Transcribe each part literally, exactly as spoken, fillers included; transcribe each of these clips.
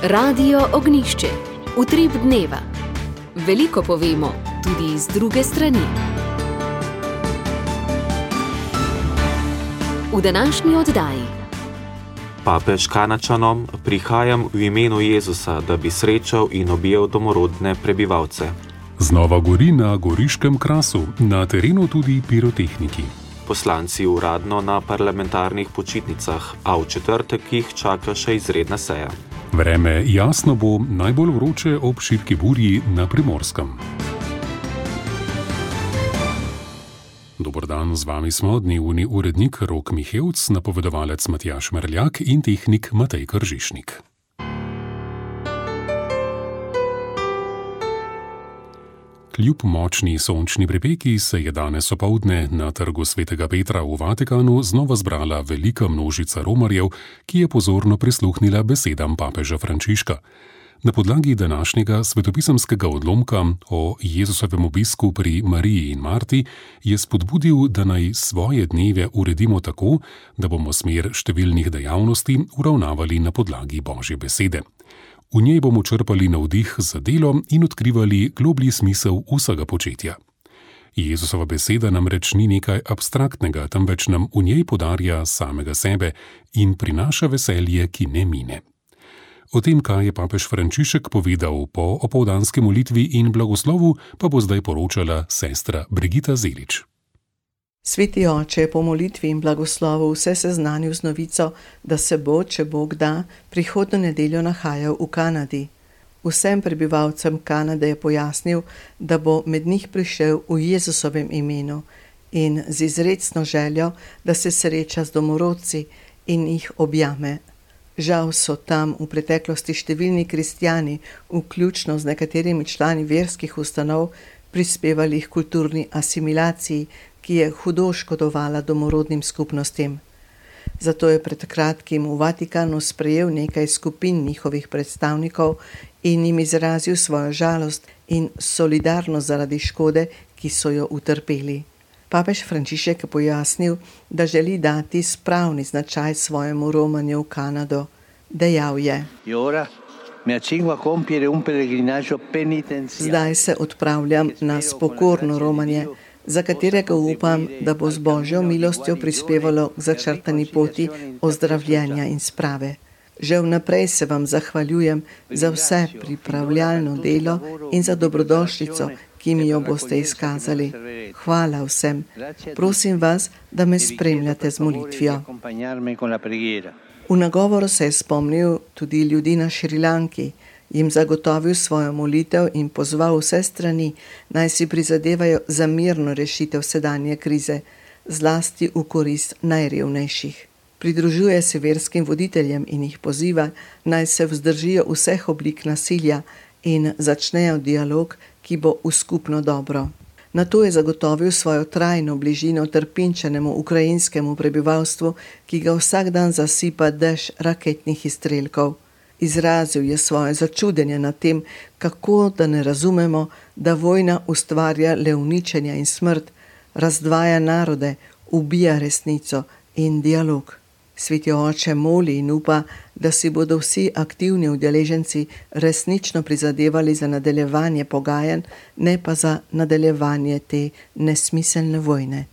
Radio Ognišče, utrip dneva. Veliko povemo, tudi z druge strani. V današnji oddaji. Papež Kanačanom: prihajam v imenu Jezusa, da bi srečal in objel domorodne prebivalce. Znova gori na Goriškem Krasu, na terenu tudi pirotehniki. Poslanci uradno na parlamentarnih počitnicah, a v četrtek jih čaka še izredna seja. Vreme jasno bo, najbolj vroče ob šibki burji na Primorskem. Dober dan, z vami smo dnevni urednik Rok Mihevc, napovedovalec Matjaž Merljak in tehnik Matej Kržišnik. Kljub močni sončni pripeki se je danes opoldne na trgu svetega Petra v Vatikanu znova zbrala velika množica romarjev, ki je pozorno prisluhnila besedam papeža Frančiška. Na podlagi današnjega svetopisemskega odlomka o Jezusovem obisku pri Mariji in Marti je spodbudil, da naj svoje dneve uredimo tako, da bomo smer številnih dejavnosti uravnavali na podlagi Božje besede. V njej bomo črpali navdih za delo in odkrivali globlji smisel vsega početja. Jezusova beseda namreč ni nekaj abstraktnega, temveč nam v njej podarja samega sebe in prinaša veselje, ki ne mine. O tem, kaj je papež Frančišek povedal po opoldanski molitvi in blagoslovu, pa bo zdaj poročala sestra Brigita Zelič. Sveti oče je po molitvi in blagoslovu vse seznanil z novico, da se bo, če Bog da, prihodnjo nedeljo nahajal v Kanadi. Vsem prebivalcem Kanade je pojasnil, da bo med njih prišel v Jezusovem imenu in z izrecno željo, da se sreča z domorodci in jih objame. Žal so tam v preteklosti številni kristjani, vključno z nekaterimi člani verskih ustanov, prispevali k kulturni asimilaciji, ki je hudo škodovala domorodnim skupnostim. Zato je pred kratkim v Vatikanu sprejel nekaj skupin njihovih predstavnikov in jim izrazil svojo žalost in solidarnost zaradi škode, ki so jo utrpeli. Papež Frančišek je pojasnil, da želi dati spravni značaj svojemu romanju v Kanado. Dejal je: Zdaj se odpravljam na spokorno romanje, za katerega upam, da bo z Božjo milostjo prispevalo k začrtani poti ozdravljenja in sprave. Že vnaprej se vam zahvaljujem za vse pripravljalno delo in za dobrodošlico, ki mi jo boste izkazali. Hvala vsem. Prosim vas, da me spremljate z molitvijo. V nagovoru se je spomnil tudi ljudi na Šrilanki, jim zagotovil svojo molitev in pozval vse strani, naj si prizadevajo za mirno rešitev sedanje krize, zlasti v korist najrevnejših. Pridružuje se verskim voditeljem in jih poziva, naj se vzdržijo vseh oblik nasilja in začnejo dialog, ki bo v skupno dobro. Nato je zagotovil svojo trajno bližino trpinčenemu ukrajinskemu prebivalstvu, ki ga vsak dan zasipa dež raketnih izstrelkov. Izrazil je svoje začudenje nad tem, kako da ne razumemo, da vojna ustvarja le uničenja in smrt, razdvaja narode, ubija resnico in dialog. Sveti oče moli in upa, da si bodo vsi aktivni udeleženci resnično prizadevali za nadaljevanje pogajanj, ne pa za nadaljevanje te nesmiselne vojne.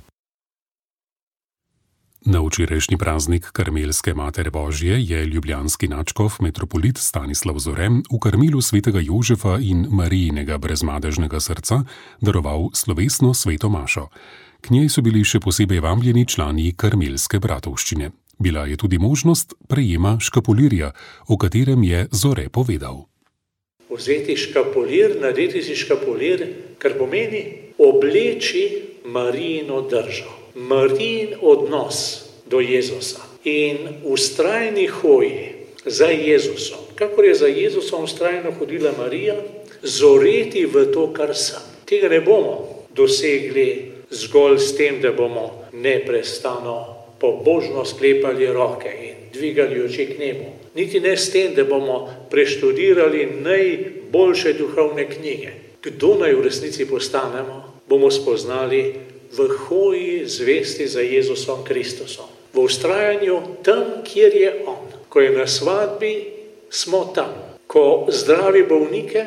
Na včerajšnji praznik Karmelske Matere Božje je ljubljanski nadškof metropolit Stanislav Zore v Karmelu svetega Jožefa in Marijinega brezmadežnega srca daroval slovesno sveto mašo. K njej so bili še posebej vabljeni člani Karmelske bratovščine. Bila je tudi možnost prejema škapulirja, o katerem je Zore povedal. Vzeti škapulir, narediti si škapulir, kar pomeni obleči Marijino držo. Marijin odnos do Jezusa in vztrajni hoji za Jezusom, kakor je za Jezusom vztrajno hodila Marija, zoreti v to, kar sem. Tega ne bomo dosegli zgolj s tem, da bomo neprestano pobožno sklepali roke in dvigali oči k nebu. Niti ne s tem, da bomo preštudirali najboljše duhovne knjige. Kdo naj v resnici postanemo, bomo spoznali v hoji zvesti za Jezusom Kristusom. V vztrajanju tam, kjer je On. Ko je na svadbi, smo tam. Ko zdravi bolnike,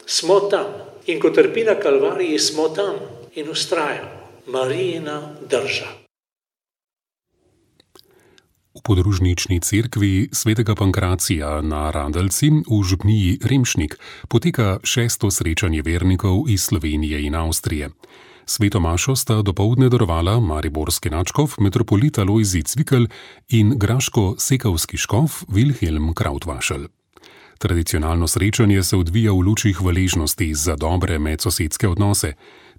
smo tam. In ko trpi na Kalvariji, smo tam in vztrajamo. Marijina drža. V podružnični cerkvi svetega Pankracija na Radalci v župniji Remšnik poteka šesto srečanje vernikov iz Slovenije in Avstrije. Sveto mašo sta dopoldne darovala mariborski nadškof metropolit Alojzij Cvikl in graško-sekavski škof Vilhelm Krautvašel. Tradicionalno srečanje se odvija v luči hvaležnosti za dobre medsosedske odnose.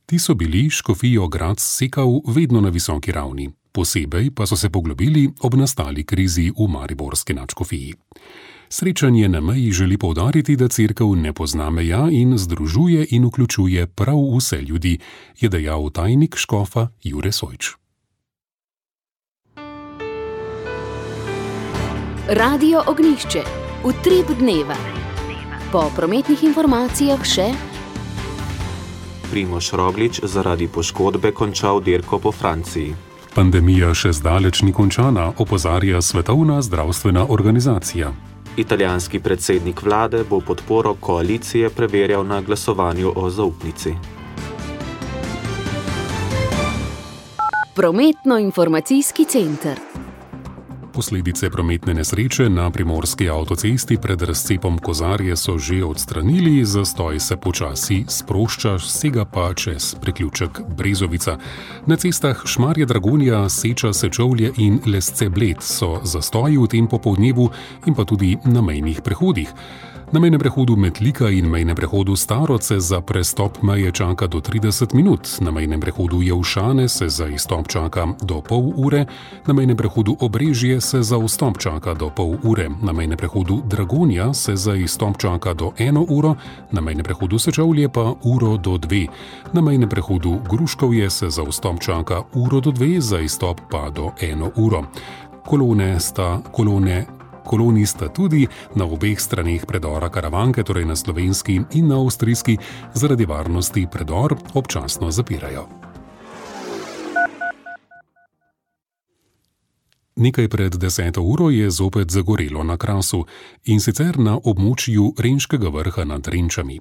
Ti so bili škofijo Graz-Sekav vedno na visoki ravni. Posebej pa so se poglobili ob nastali krizi v mariborski nadškofiji. Srečanje na meji želi poudariti, da cerkev ne pozna meja in združuje in vključuje prav vse ljudi, je dejal tajnik škofa Jure Sojč. Radio Ognjišče. Utrip dneva. Po prometnih informacijah še Primož Roglič zaradi poškodbe končal dirko po Franciji. Pandemija še zdaleč ni končana, opozarja Svetovna zdravstvena organizacija. Italijanski predsednik vlade bo podporo koalicije preverjal na glasovanju o zaupnici. Prometno-informacijski center. Posledice prometne nesreče na primorski avtocesti pred razcepom Kozarje so že odstranili, zastoj se počasi sprošča, sega pa čez priključek Brezovica. Na cestah Šmarje-Dragonja, Seča-Sečovlje in Lesce-Bled so zastoji v tem popoldnevu in pa tudi na mejnih prehodih. Na mejnem prehodu Metlika in mejnem prehodu Staroce za prestop meje čaka do trideset minut, na mejnem prehodu Jelšane se za izstop čaka do pol ure, na mejnem prehodu Obrežje se za vstop čaka do pol ure, na mejnem prehodu Dragonja se za izstop čaka do eno uro, na mejnem prehodu Sečovlje pa uro do dve, na mejnem prehodu Gruškovje se za vstop čaka uro do dve, za izstop pa do eno uro. Kolone sta kolone Koloni sta tudi na obeh straneh predora Karavanke, torej na slovenski in na avstrijski, zaradi varnosti predor občasno zapirajo. Nekaj pred deseto uro je zopet zagorelo na Krasu, in sicer na območju Renškega vrha nad Renčami.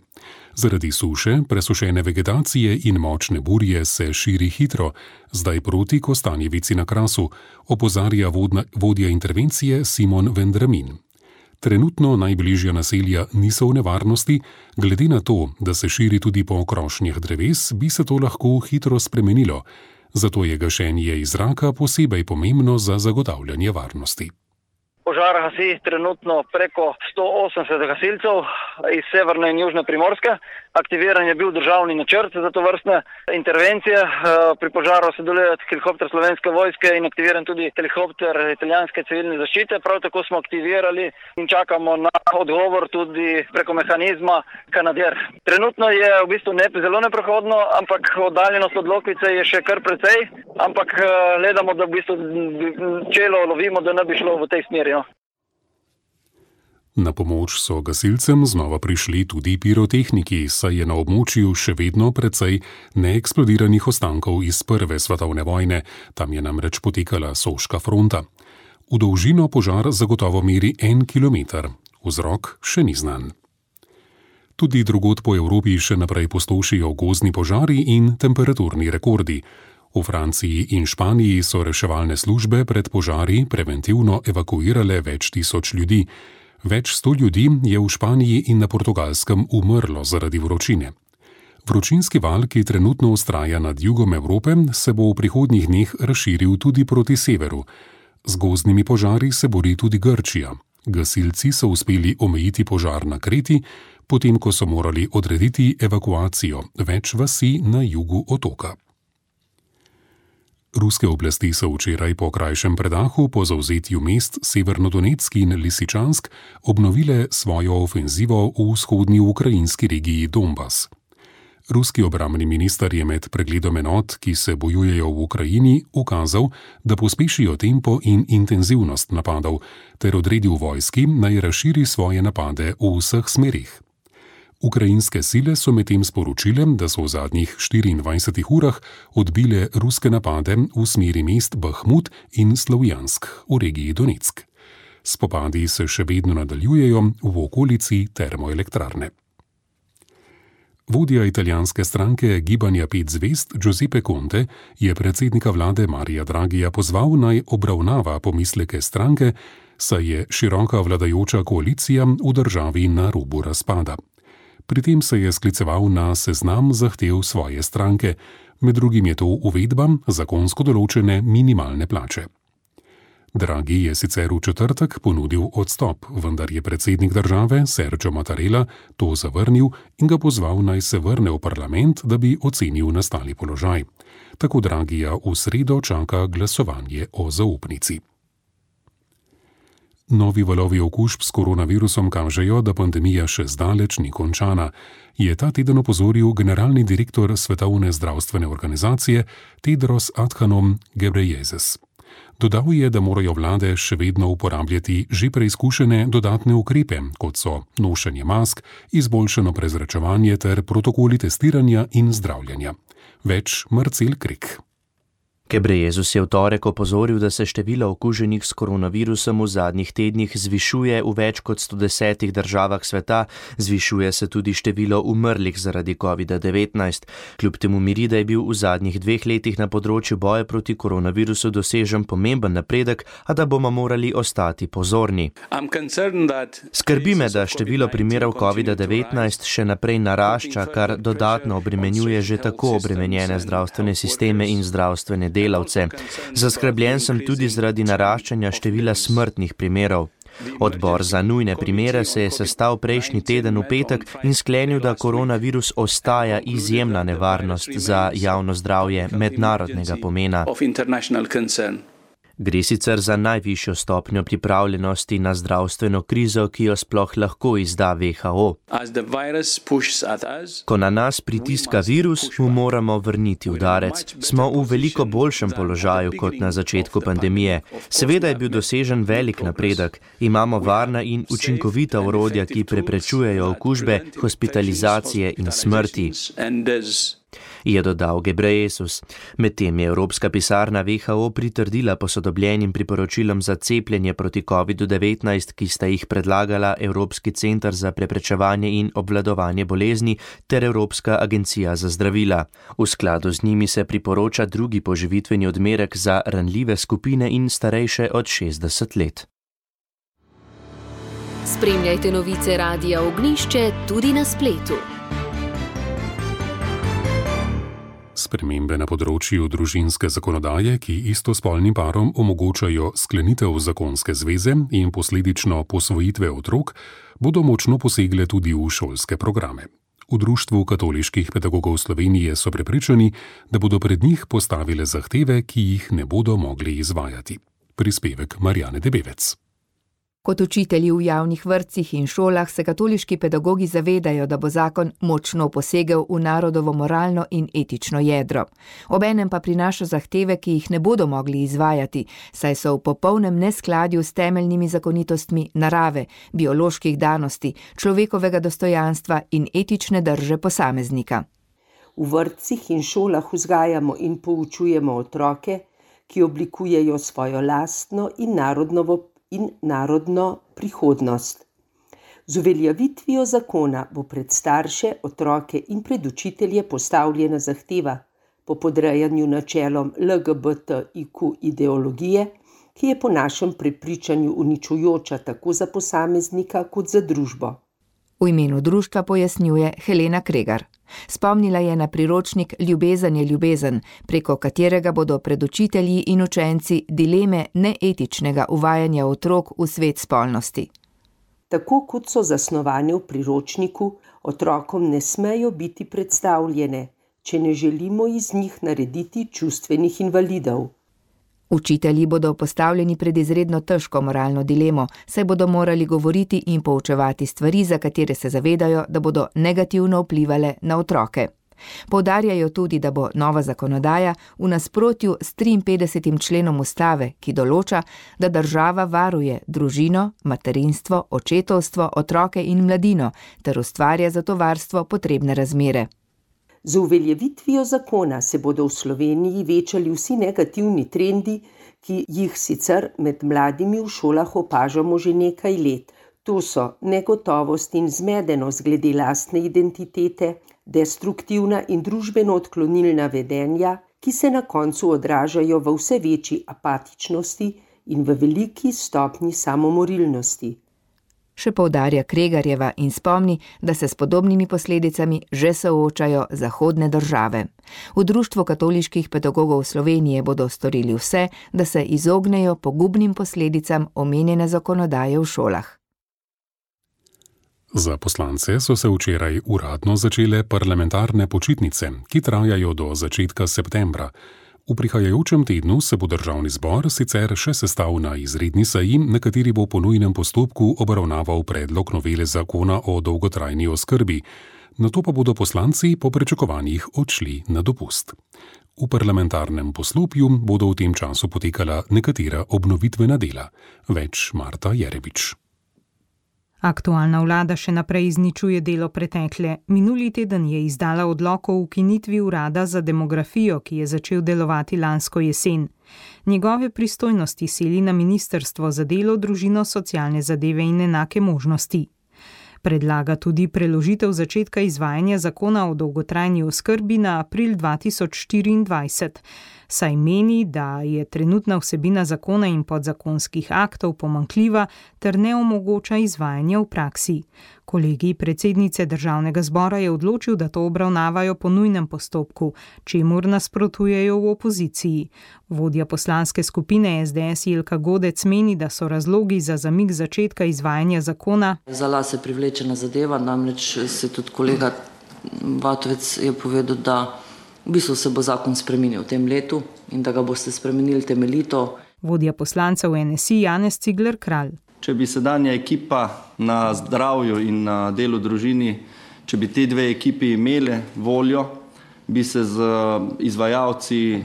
Zaradi suše, presušene vegetacije in močne burje se širi hitro, zdaj proti Kostanjevici na Krasu, opozarja vodna, vodja intervencije Simon Vendramin. Trenutno najbližja naselja niso v nevarnosti, glede na to, da se širi tudi po krošnjah dreves, bi se to lahko hitro spremenilo. Zato je gašenje iz zraka posebej pomembno za zagotavljanje varnosti. Požar gasi trenutno preko sto osemdeset gasilcev iz severne in južne Primorske. Aktiviran je bil državni načrt za to vrstne intervencije. Pri požaru sodeluje helikopter Slovenske vojske in aktiviran tudi helikopter italijanske civilne zaščite. Prav tako smo aktivirali in čakamo na odgovor tudi preko mehanizma Canadair. Trenutno je v bistvu ne, zelo neprohodno, ampak oddaljenost od Lokvice je še kar precej, ampak gledamo, da v bistvu čelo lovimo, da ne bi šlo v tej smeri. Na pomoč so gasilcem znova prišli tudi pirotehniki, saj je na območju še vedno precej neeksplodiranih ostankov iz prve svetovne vojne, tam je namreč potekala Soška fronta. V dolžino požar zagotovo meri en kilometer, vzrok še ni znan. Tudi drugod po Evropi še naprej pustošijo gozdni požari in temperaturni rekordi. V Franciji in Španiji so reševalne službe pred požari preventivno evakuirale več tisoč ljudi. Več sto ljudi je v Španiji in na Portugalskem umrlo zaradi vročine. Vročinski val, ki trenutno vztraja nad jugom Evrope, se bo v prihodnjih dneh razširil tudi proti severu. Z gozdnimi požari se bori tudi Grčija. Gasilci so uspeli omejiti požar na Kreti, potem ko so morali odrediti evakuacijo več vasi na jugu otoka. Ruske oblasti so včeraj po krajšem predahu po zavzetju mest Severnodonetsk in Lisičansk obnovile svojo ofenzivo v vzhodni ukrajinski regiji Donbas. Ruski obrambni minister je med pregledom enot, ki se bojujejo v Ukrajini, ukazal, da pospešijo tempo in intenzivnost napadov, ter odredil vojski, naj razširi svoje napade v vseh smerih. Ukrajinske sile so medtem sporočile, da so v zadnjih štiriindvajsetih urah odbile ruske napade v smeri mest Bahmut in Slavjansk v regiji Donetsk. Spopadi se še vedno nadaljujejo v okolici termoelektrarne. Vodja italijanske stranke Gibanja pet zvezd Giuseppe Conte je predsednika vlade Marija Draghija pozval, naj obravnava pomisleke stranke, saj je široka vladajoča koalicija v državi na robu razpada. Pri tem se je skliceval na seznam zahtev svoje stranke, med drugim je to uvedba zakonsko določene minimalne plače. Draghi je sicer v četrtek ponudil odstop, vendar je predsednik države Sergio Mattarella to zavrnil in ga pozval, naj se vrne v parlament, da bi ocenil nastali položaj. Tako Draghija v sredo čaka glasovanje o zaupnici. Novi valovi okužb s koronavirusom kažejo, da pandemija še zdaleč ni končana, je ta teden opozoril generalni direktor Svetovne zdravstvene organizacije Tedros Adhanom Ghebreyesus. Dodal je, da morajo vlade še vedno uporabljati že preizkušene dodatne ukrepe, kot so nošenje mask, izboljšano prezračevanje ter protokoli testiranja in zdravljenja. Več Marcel Krik. Ghebreyesus je v torek opozoril, da se število okuženih s koronavirusom v zadnjih tednih zvišuje v več kot sto desetih državah sveta, zvišuje se tudi število umrlih zaradi kovida devetnajst. Kljub temu miri, da je bil v zadnjih dveh letih na področju boja proti koronavirusu dosežen pomemben napredek, a da bomo morali ostati pozorni. Skrbi me, da število primerov kovida devetnajst še naprej narašča, kar dodatno obremenjuje že tako obremenjene zdravstvene sisteme in zdravstvene delavce. Delavce. Zaskrbljen sem tudi zaradi naraščanja števila smrtnih primerov. Odbor za nujne primere se je sestal prejšnji teden v petek in sklenil, da koronavirus ostaja izjemna nevarnost za javno zdravje mednarodnega pomena. Gre sicer za najvišjo stopnjo pripravljenosti na zdravstveno krizo, ki jo sploh lahko izda V H O. Ko na nas pritiska virus, mu moramo vrniti udarec. Smo v veliko boljšem položaju kot na začetku pandemije. Seveda je bil dosežen velik napredek. Imamo varna in učinkovita orodja, ki preprečujejo okužbe, hospitalizacije in smrti, je dodal Ghebreyesus. Medtem je Evropska pisarna V H O pritrdila posodobljenim priporočilom za cepljenje proti kovidu devetnajst, ki sta jih predlagala Evropski center za preprečevanje in obvladovanje bolezni ter Evropska agencija za zdravila. V skladu z njimi se priporoča drugi poživitveni odmerek za ranljive skupine in starejše od šestdeset let. Spremljajte novice Radia Ognjišče tudi na spletu. Spremembe na področju družinske zakonodaje, ki istospolnim parom omogočajo sklenitev zakonske zveze in posledično posvojitve otrok, bodo močno posegle tudi v šolske programe. V Društvu katoliških pedagogov Slovenije so prepričani, da bodo pred njih postavile zahteve, ki jih ne bodo mogli izvajati. Prispevek Marjane Debevec. Kot učitelji v javnih vrtcih in šolah se katoliški pedagogi zavedajo, da bo zakon močno posegel v narodovo moralno in etično jedro. Obenem pa prinaša zahteve, ki jih ne bodo mogli izvajati, saj so v popolnem neskladju s temeljnimi zakonitostmi narave, bioloških danosti, človekovega dostojanstva in etične drže posameznika. V vrtcih in šolah vzgajamo in poučujemo otroke, ki oblikujejo svojo lastno in narodnovo in narodno prihodnost. Z uveljavitvijo zakona bo pred starše, otroke in pred učitelje postavljena zahteva po podrejanju načelom L G B T I Q ideologije, ki je po našem prepričanju uničujoča tako za posameznika kot za družbo. V imenu društva pojasnjuje Helena Kregar. Spomnila je na priročnik Ljubezen je ljubezen, preko katerega bodo pred učitelji in učenci dileme neetičnega uvajanja otrok v svet spolnosti. Tako kot so zasnovane v priročniku, otrokom ne smejo biti predstavljene, če ne želimo iz njih narediti čustvenih invalidov. Učitelji bodo postavljeni pred izredno težko moralno dilemo, saj bodo morali govoriti in poučevati stvari, za katere se zavedajo, da bodo negativno vplivale na otroke. Poudarjajo tudi, da bo nova zakonodaja v nasprotju s triinpetdesetim členom ustave, ki določa, da država varuje družino, materinstvo, očetovstvo, otroke in mladino ter ustvarja za to varstvo potrebne razmere. Z uveljavitvijo zakona se bodo v Sloveniji večali vsi negativni trendi, ki jih sicer med mladimi v šolah opažamo že nekaj let. To so negotovost in zmedenost glede lastne identitete, destruktivna in družbeno odklonilna vedenja, ki se na koncu odražajo v vse večji apatičnosti in v veliki stopnji samomorilnosti. Še poudarja Kregarjeva in spomni, da se s podobnimi posledicami že soočajo zahodne države. V Društvu katoliških pedagogov Slovenije bodo storili vse, da se izognejo pogubnim posledicam omenjene zakonodaje v šolah. Za poslance so se včeraj uradno začele parlamentarne počitnice, ki trajajo do začetka septembra. V prihajajočem tednu se bo državni zbor sicer še sestal na izredni seji, na kateri bo po nujnem postopku obravnaval predlog novele zakona o dolgotrajni oskrbi. Nato pa bodo poslanci po pričakovanjih odšli na dopust. V parlamentarnem poslopju bodo v tem času potekala nekatera obnovitvena dela. Več Marta Jerebič. Aktualna vlada še naprej izničuje delo pretekle. Minuli teden je izdala odlok o ukinitvi urada za demografijo, ki je začel delovati lansko jesen. Njegove pristojnosti seli na Ministrstvo za delo, družino, socialne zadeve in enake možnosti. Predlaga tudi preložitev začetka izvajanja zakona o dolgotrajni oskrbi na april dva tisoč štiriindvajset, saj meni, da je trenutna vsebina zakona in podzakonskih aktov pomanjkljiva ter ne omogoča izvajanja v praksi. Kolegij predsednice državnega zbora je odločil, da to obravnavajo po nujnem postopku, čemur nasprotujejo v opoziciji. Vodja poslanske skupine es de es Jelka Godec meni, da so razlogi za zamik začetka izvajanja zakona. Za las je privlečena zadeva, namreč se tudi kolega Vatovec je povedal, da v bistvu se bo zakon spremenil v tem letu in da ga boste spremenili temeljito. Vodja poslancev en es i Janez Cigler Kralj. Če bi sedanja ekipa na zdravju in na delu družini, če bi te dve ekipi imele voljo, bi se z izvajalci,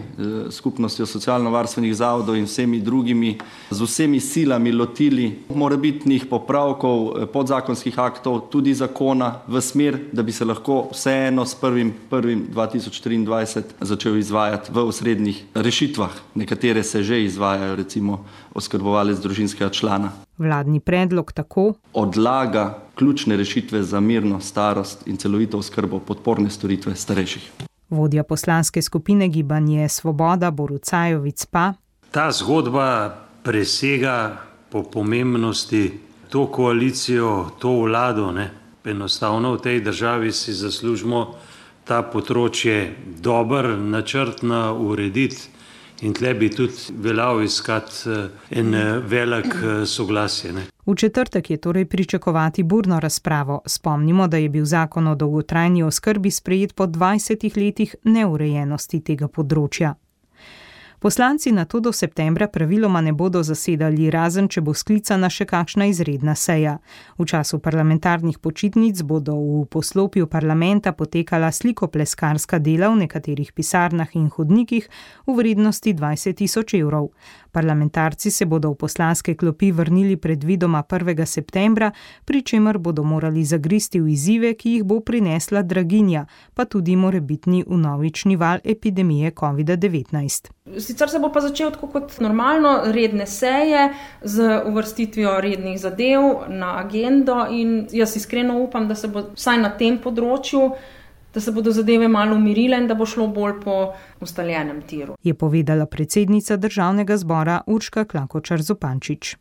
skupnostjo socialno-varstvenih zavodov in vsemi drugimi, z vsemi silami lotili morebitnih popravkov podzakonskih aktov, tudi zakona, v smer, da bi se lahko vseeno s prvim prvim dva tisoč triindvajset začel izvajati v osrednjih rešitvah. Nekatere se že izvajajo, recimo oskrbovalec družinskega člana. Vladni predlog tako odlaga ključne rešitve za mirno starost in celovito oskrbo podporne storitve starejših. Vodja poslanske skupine Gibanje Svoboda Borut Sajovic pa. Ta zgodba presega po pomembnosti to koalicijo, to vlado. Ne? Enostavno v tej državi si zaslužimo ta področje dober, načrtno urediti. In tle bi tudi veljal iskati en velik soglasje. Ne? V četrtek je torej pričakovati burno razpravo. Spomnimo, da je bil zakon o dolgotrajni oskrbi sprejet po dvajsetih letih neurejenosti tega področja. Poslanci nato do septembra praviloma ne bodo zasedali, razen če bo sklicana še kakšna izredna seja. V času parlamentarnih počitnic bodo v poslopju parlamenta potekala slikopleskarska dela v nekaterih pisarnah in hodnikih v vrednosti dvajset tisoč evrov. Parlamentarci se bodo v poslanske klopi vrnili predvidoma prvega septembra, pri čemer bodo morali zagristi v izzive, ki jih bo prinesla draginja, pa tudi morebitni vnovični val epidemije covid devetnajst. Sicer se bo pa začel tako kot normalno redne seje z uvrstitvijo rednih zadev na agendo in jaz iskreno upam, da se bo vsaj na tem področju, da se bodo zadeve malo umirile in da bo šlo bolj po ustaljenem tiru. Je povedala predsednica državnega zbora Urška Klakočar Zupančič.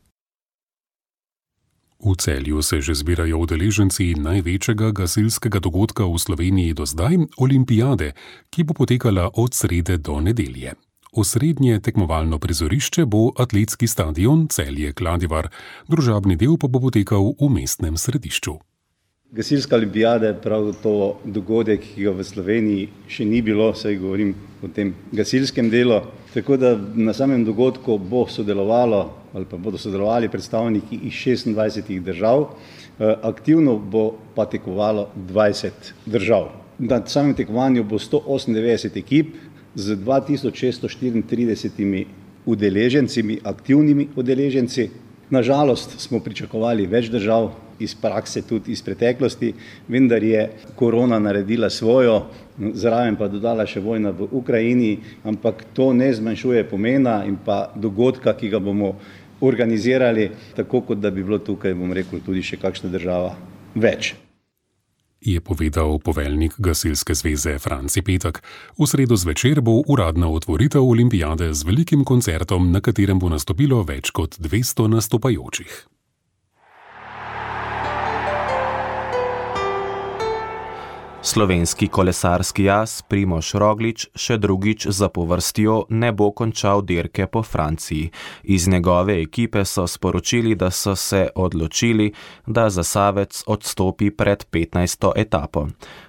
V Celju se že zbirajo udeleženci največjega gasilskega dogodka v Sloveniji do zdaj, olimpijade, ki bo potekala od srede do nedelje. Osrednje tekmovalno prizorišče bo atletski stadion Celje-Kladivar, družabni del pa bo potekal v mestnem središču. Gasilska olimpijada je prav to dogodek, ki ga v Sloveniji še ni bilo, saj govorim o tem gasilskem delu. Tako da na samem dogodku bo sodelovalo ali pa bodo sodelovali predstavniki iz šestindvajsetih držav, aktivno bo pa tekmovalo dvajset držav. Na samem tekmovanju bo sto osemindevetdeset ekip z dva tisoč šeststo štiriintridesetimi udeleženci, aktivnimi udeleženci. Na žalost smo pričakovali več držav, iz prakse, tudi iz preteklosti, vendar je korona naredila svojo, zraven pa dodala še vojna v Ukrajini, ampak to ne zmanjšuje pomena in pa dogodka, ki ga bomo organizirali, tako kot da bi bilo tukaj, bom rekel, tudi še kakšna država več. Je povedal poveljnik Gasilske zveze Franci Petek. V sredo zvečer bo uradna otvoritev olimpijade z velikim koncertom, na katerem bo nastopilo več kot dvesto nastopajočih. Slovenski kolesarski jaz Primož Roglič še drugič zapovrstjo ne bo končal dirke po Franciji. Iz njegove ekipe so sporočili, da so se odločili, da Zasavec odstopi pred petnajsto etapo.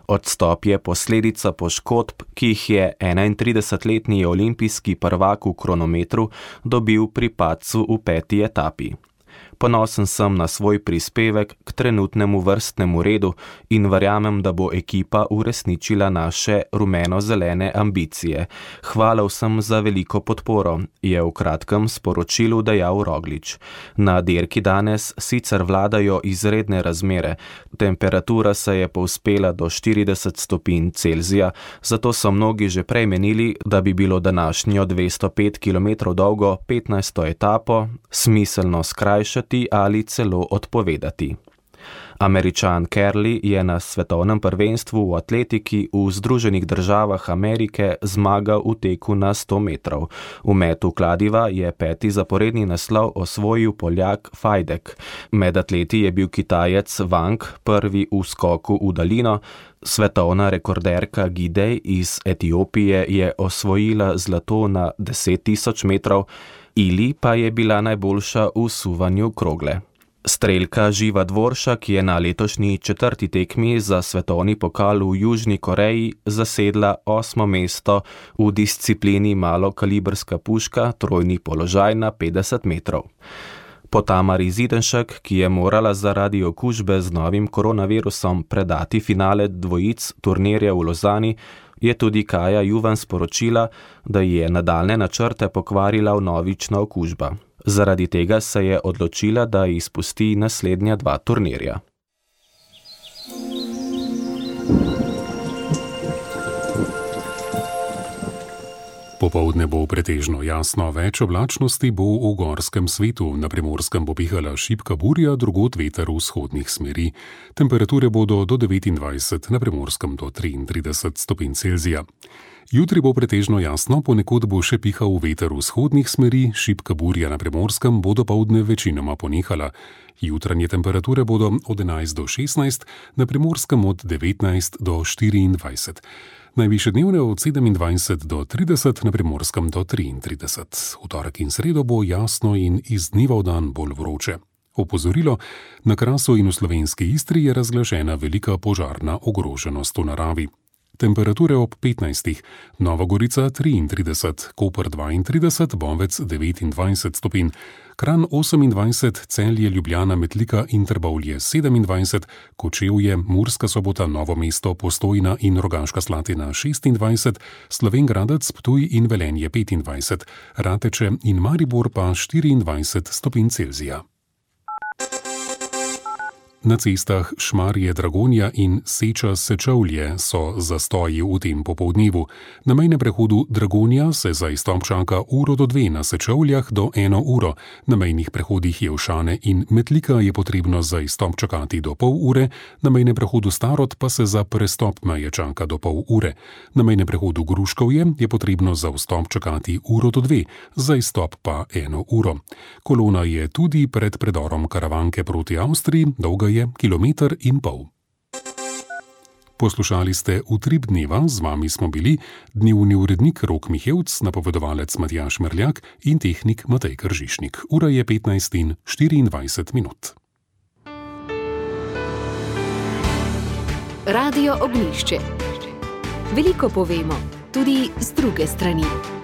Odstop je posledica poškodb, ki jih je enaintridesetletni olimpijski prvak v kronometru dobil pri padcu v peti etapi. Ponosen sem na svoj prispevek k trenutnemu vrstnemu redu in verjamem, da bo ekipa uresničila naše rumeno-zelene ambicije. Hvala vsem za veliko podporo, je v kratkem sporočilu dejal Roglič. Na dirki danes sicer vladajo izredne razmere. Temperatura se je povzpela do štirideset stopinj Celzija, zato so mnogi že prej menili, da bi bilo današnjo dvesto pet kilometrov dolgo petnajsto etapo smiselno skrajšati ali celo odpovedati. Američan Kerley je na svetovnem prvenstvu v atletiki v Združenih državah Amerike zmagal v teku na sto metrov. V metu kladiva je peti zaporedni naslov osvojil Poljak Fajdek. Med atleti je bil Kitajec Wang prvi v skoku v daljino, svetovna rekorderka Gidej iz Etiopije je osvojila zlato na deset tisoč metrov, Ili pa je bila najboljša v suvanju krogle. Strelka Živa Dvoršak je na letošnji četrti tekmi za svetovni pokal v Južni Koreji zasedla osmo mesto v disciplini malokalibrska puška, trojni položaj na petdeset metrov. Po Tamari Zidenšek, ki je morala zaradi okužbe z novim koronavirusom predati finale dvojic turnirja v Lozani, je tudi Kaja Juvan sporočila, da je nadaljne načrte pokvarila vnovična okužba. Zaradi tega se je odločila, da izpusti naslednja dva turnirja. Popoldne bo pretežno jasno, več oblačnosti bo v gorskem svetu, na Primorskem bo pihala šibka burja, drugod veter vzhodnih smeri. Temperature bodo do devetindvajset, na Primorskem do triintrideset stopinj Celzija. Jutri bo pretežno jasno, ponekod bo še pihal veter vzhodnih smeri, šibka burja na Primorskem bo dopoldne večinoma ponehala. Jutranje temperature bodo od enajst do šestnajst, na Primorskem od devetnajst do štiriindvajset. Najvišje dnevne od sedemindvajset do trideset, na Primorskem do triintrideset. V torek in sredo bo jasno in iz dneva v dan bolj vroče. Opozorilo, na Krasu in v slovenski Istri je razglašena velika požarna ogroženost v naravi. Temperature ob petnajstih, Nova Gorica triintrideset, Koper dvaintrideset, Bovec devetindvajset stopinj, Kranj osemindvajset, Celje, Ljubljana, Metlika in Trbovlje sedemindvajset, Kočevje, Murska Sobota, Novo mesto, Postojna in Rogaška Slatina šestindvajset, Slovenj Gradec, Ptuj in Velenje petindvajset, Rateče in Maribor pa štiriindvajset stopinj Celzija. Na cestah Šmarje, Dragonja in Seča, Sečovlje so zastoji v tem popoldnevu. Na mejnem prehodu Dragonja se za izstop čaka uro do dve, na Sečovljah do eno uro. Na mejnih prehodih Jevšane in Metlika je potrebno za izstop čakati do pol ure, na mejnem prehodu Starod pa se za prestop meje čaka do pol ure. Na mejnem prehodu Gruškovje je potrebno za vstop čakati uro do dve, za izstop pa eno uro. Kolona je tudi pred predorom Karavanke proti Avstriji, dolga je kilometer in pol. Poslušali ste Utrip dneva, z vami smo bili dnevni urednik Rok Mihevc, napovedovalec Matjaž Merljak in tehnik Matej Kržišnik. Ura je petnajst in štiriindvajset minut. Radio Ognjišče. Veliko povemo, tudi z druge strani.